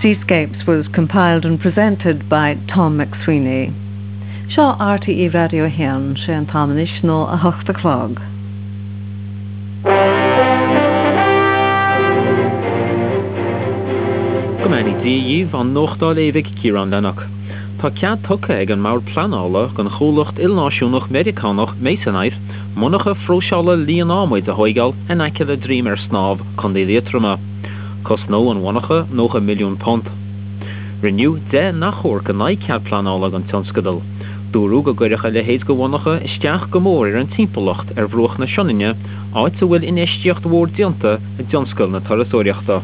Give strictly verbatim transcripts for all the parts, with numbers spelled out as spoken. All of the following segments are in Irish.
Seascapes was compiled and presented by Tom McSweeney. Seo RTÉ Raidió a haon sé an t-am anois ná a hocht a chlog. Go mbeannaí Dia dhaoibh an nuacht á léamh ag Ciarán Lennox. Tá cead tugtha ag an mBord Pleanála don chomhlacht ilnáisiúnach Meiriceánach Masonite monarcha phróiseála líonadhmaid a thógáil in aice le Droim ar Snámh, Contae Liatroma. Cosnóidh an mhonarcha nócha milliún punt. Rinneadh deich n-achomharc in aghaidh cead pleanála don tionscadal. Dúradh go gcuirfeadh a leithéid de mhonarcha isteach go mór ar an timpeallacht ar bhruach na Sionainne, áit a bhfuil infheistíocht mhór déanta i dtionscal na turasóireachta.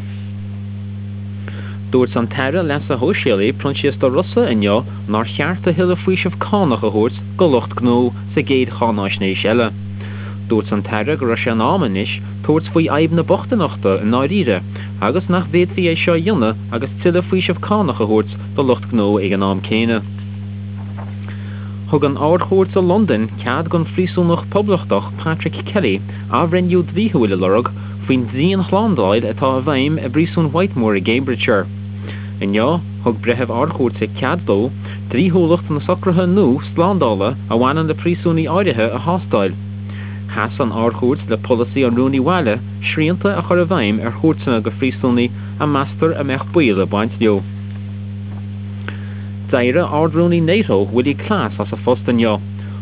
Dúirt an tAire Leasa Shóisialaigh Proinsias De Rossa inniu nár cheart a thuilleadh faoiseamh cánach a thabhairt do lucht gnó sa gcéad cháinaisnéis eile. Dúirt an tAire go raibh sé in am anois tabhairt faoi fhadhb na bochtaineachta i ndáiríre agus nach bhféadfaí é seo a dhéanamh agus tuilleadh faoiseamh cánach a thabhairt do lucht gnó ag an am céanna. Thug an Ard-Chúirt i Londain cead don phríosúnach poblachtach Patrick Kelly athbhreithniú dlíthiúil a lorg faoin dianshlándáil atá i bhfeidhm i bpríosún Whitemoor i gCambridgeshire. Inniu, thug breitheamh Ard-Chúirte cead dó dlíthiúlacht na socruithe nua slándála a bhaineann le príosúnaigh áirithe a thástáil. Sheas an Ard-Chúirt le polasaí an Rúnaí Bhaile srianta a chur i bhfeidhm ar chuairteanna go phríosúnaigh a meastar a mbeadh baol ag baint leo. D'éirigh Ard-Rúnaí NATO Willy Claes as a phost inniu.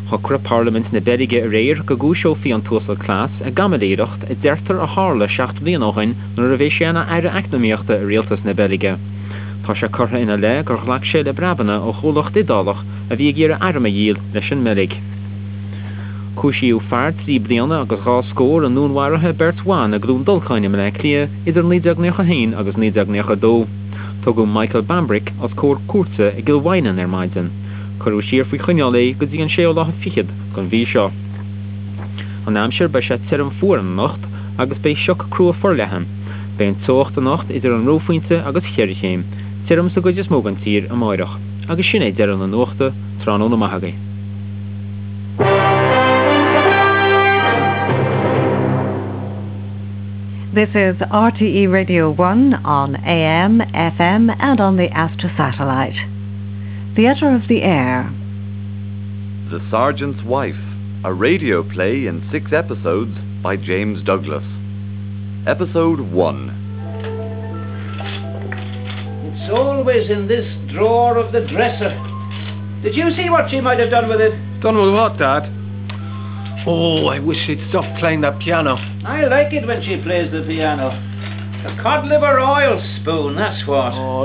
Shocraigh Parlaimint na Beilge aréir go gcúiseofaí an tUasal Claes i gcaimiléireacht a deirtear a tharla seacht mbliana ó shin nuair a bhí sé ina aire eacnamaíochta i rialtas na Beilge. Tá sé curtha ina leith gur ghlac sé le breabanna ó chomhlacht Iodálach a bhí ag iarraidh airm a dhíol leis an mBeilg. Cúisíodh fear trí bliana agus dhá scór i ndúnmharuithe beirt bhan i gCluain Dolcáin i mBleá Cliath idir naoi déag nócha haon agus naoi déag nócha dó. Tugadh Michael Bambrick os comhair cúirte i gCill Mhaighneann ar maidin. Cuireadh siar faoi choinneáil é go dtí an séú lá fichead den mhí seo. An aimsir beidh sé tirim fuar anocht agus beidh sioc crua forleathan. Beidh an teocht anocht idir an reophointe agus cheithre chéim, tirim sa gcuid is mó den tír amárach. Agus sin é deireadh na nuachta, tráthnóna maith agaibh. This is RTE Radio one on A M, F M and on the Astra satellite. Theatre of the Air. The Sergeant's Wife, a radio play in six episodes by James Douglas. Episode one. It's always in this drawer of the dresser. Did you see what she might have done with it? Done with what, Dad? Oh, I wish she'd stop playing that piano. I like it when she plays the piano. A cod liver oil spoon, that's what. Oh,